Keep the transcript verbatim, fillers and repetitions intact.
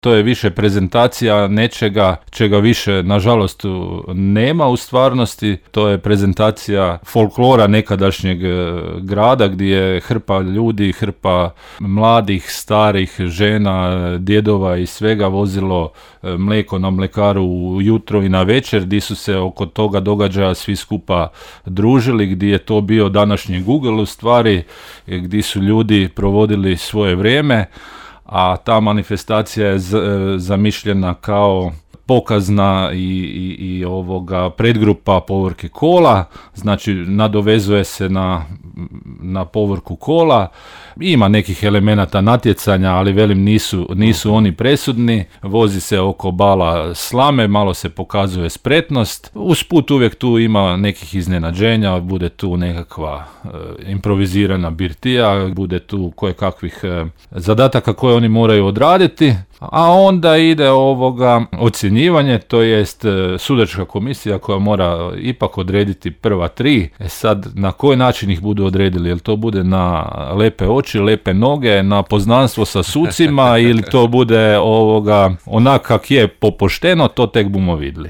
To je više prezentacija nečega čega više nažalost nema u stvarnosti. To je prezentacija folklora nekadašnjeg grada gdje je hrpa ljudi, hrpa mladih, starih, žena, djedova i svega vozilo mlijeko na mlekaru ujutro i na večer, gdje su se oko toga događaja svi skupa družili, gdje je to bio današnji Google u stvari, gdje su ljudi provodili svoje vrijeme, a ta manifestacija je z, zamišljena kao pokazna i, i, i ovoga predgrupa povorke kola, znači nadovezuje se na, na povorku kola, ima nekih elemenata natjecanja, ali velim nisu, nisu oni presudni, vozi se oko bala slame, malo se pokazuje spretnost, usput uvijek tu ima nekih iznenađenja, bude tu nekakva e, improvizirana birtija, bude tu kojekakvih e, zadataka koje oni moraju odraditi, a onda ide ovoga ocjenjivanje, to jest sudačka komisija koja mora ipak odrediti prva tri. E sad, na koji način ih budu odredili? Jel to bude na lepe oči, lepe noge, na poznanstvo sa sucima ili to bude ovoga onak kak je popošteno, to tek bumo vidjeli.